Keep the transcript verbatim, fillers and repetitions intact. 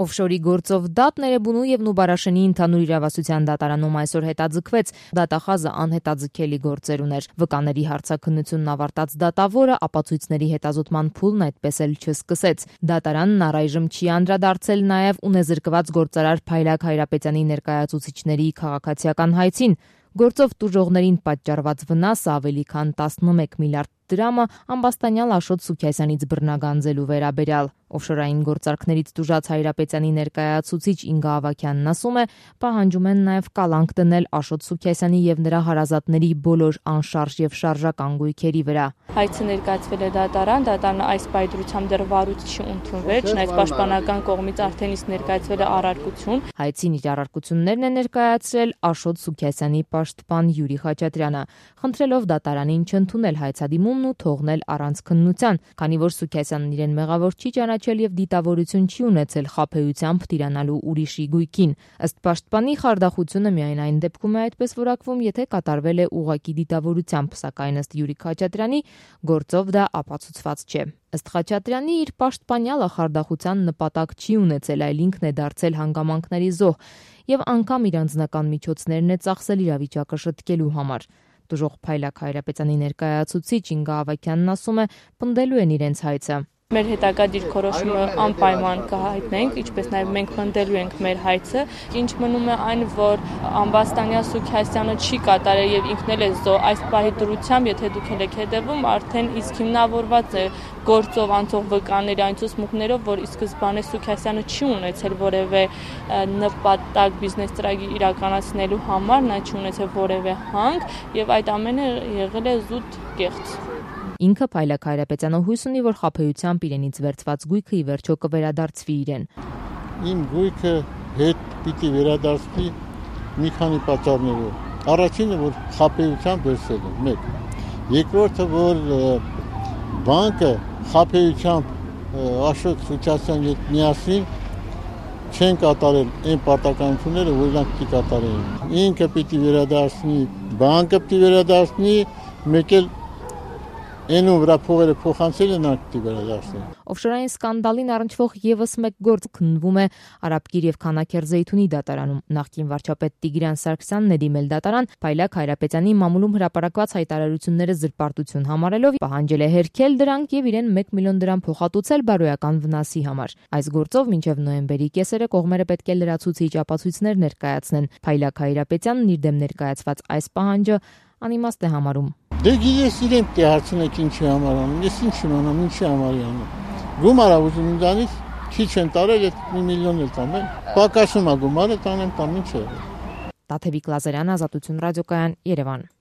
Օֆշորի գործով դատ Ներեբունու եւ Նուբարաշենի ընդհանուր իրավասության դատարանում այսօր հետաձգվեց։ Դատախազը անհետաձգելի գործեր ուներ։ Վկաների հարցաքննությունն ավարտած դատավորը ապացույցների հետազոտման փուլն այդպես էլ չսկսեց։ Դատարանն առայժմ չի անդրադարձել նաեւ ունեզրկված գործարար Փայլակ Հայրապետյանի ներկայացուցիչների քաղաքացիական հայցին։ Գործով տուժողներին պատճառված վնասը ավելի քան տասնմեկ միլիարդ դրամը ամբաստանյալ Աշոտ Սուքիասյանից բռնագանձելու վերաբերյալ։ Օֆշորային գործարքներից տուժած Հայրապետյանի ներկայացուցիչ Ինգա Ավագյանն ասում է, պահանջում են նաև կալանք դնել Աշոտ Սուքիասյանի եւ նրա հարազատների բոլոր անշարժ եւ շարժական գույքերի վրա։ Հայցը ներկայացվել է դատարան, դատարանը այս պայծրությամբ դեռ վարույթ չի ընդունվել, չնայած պաշտպանական կողմից արդեն իսկ ներկայացվել է առարկություն։ Հայցին իր առարկություններն է ներկայացրել Աշոտ Սուքիասյանի պաշտպան Յուրի Խաչատրյանը, խնդրելով դատարանին չընդունել հայցադիմումն ու թողնել առանց քննության, քանի որ Սուքիասյանն իրեն մեղավոր չի ճանաչել եւ դիտավորություն չի ունեցել խաբեությամբ տիրանալու ուրիշի գույքին։ Ըստ պաշտպանի խարդախությունը միայն այն դեպքում է այդպես որակվում, եթե կատարվել է ուղղակի դիտավորությամբ, սակայն ըստ Յուրի Խաչատրյանի գործով դա ապացուցված չէ։ Ըստ Խաչատրյանի իր պաշտպանյալը խարդախության նպատակ չի ունեցել, այլ ինքն է դարձել հանգամանքների զոհ եւ անգամ իր անձնական միջոցներն է ծախսել իրավիճակը շտկելու համար։ Տուժող Փայլակ Հայրապետյանի ներկայացուցիչ Ինգա Ավագյանն ասում է, պնդելու են իրենց հայցը։ Մեր հետագա դիրքորոշումը անպայման կհայտնենք, ինչպես նաև մենք պնդելու ենք մեր հայցը։ Ինչ մնում է այն, որ ամբաստանյալ Սուքիասյանը չի կատարել եւ ինքն էլ է զոհ, այս պահի դրությամբ, եթե դուք եք հետևում, արդեն իսկ հիմնավորված է գործով անցող վկաների այն ցուցմունքներով, որ ի սկզբանե Սուքիասյանը չի ունեցել որևէ նպատակ բիզնես ծրագիր իրականացնելու համար, նա չի ունեցել որևէ հանք եւ այդ ամենը եղել է զուտ կեղծ։ Ինքը Փայլակ Հայրապետյանը հույս ունի, որ խաբեությամբ իրենից վերցված գույքը ի վերջո կվերադարձվի իրեն։ Իմ գույքը հետ պիտի վերադարձվի մի քանի պատճառներով։ Առաջինը, որ խաբեությամբ վերցել եմ, մեկ։ Երկրորդը, որ բանկը խաբեությամբ Աշոտ Սուքիասյանի հետ միասին չեն կատարել այն պարտականությունները, որ նրանք պիտի կատարեին։ Ինքը պիտի վերադարձնի, բանկը պիտի վերադարձնի, մեկ էլ Այնու վրա փողերը փոխանցել են ակտի վերադարձնել։ Օֆշորային սկանդալին առնչվող եւս մեկ գործ քննվում է Արաբկիր եւ Քանաքեր Զեյթունի դատարանում։ Նախկին վարչապետ Տիգրան Սարգսյանն է դիմել դատարան Փայլակ Հայրապետյանի մամուլում հրապարակված հայտարարությունները զրպարտություն համարելով, պահանջել է հերքել դրանք եւ իրեն մեկ միլիոն դրամ փոխհատուցել բարոյական վնասի համար։ Այս գործով մինչեւ նոյեմբերի կեսերը կողմերը պետք է լրացուցիչ ապացույցներ ներկայացնեն։ Փայլակ Հայրապետյանն իր դեմ ներկայացված այս պահանջը անիմաստ է համարում։ Դե գիտես իրեն պիտի հարցնեք ինչի համար անում, ես ինչ իմանամ, ինչի համար անում։ Գումարա ուզում ինձանից քիչ են տարել, այդ մի միլիոն էլ տամ, պակասում է գումարը, տանեմ տամ ինչ է։ Տաթևիկ Լազարյան, Ազատություն ռադիոկայան, Երևան։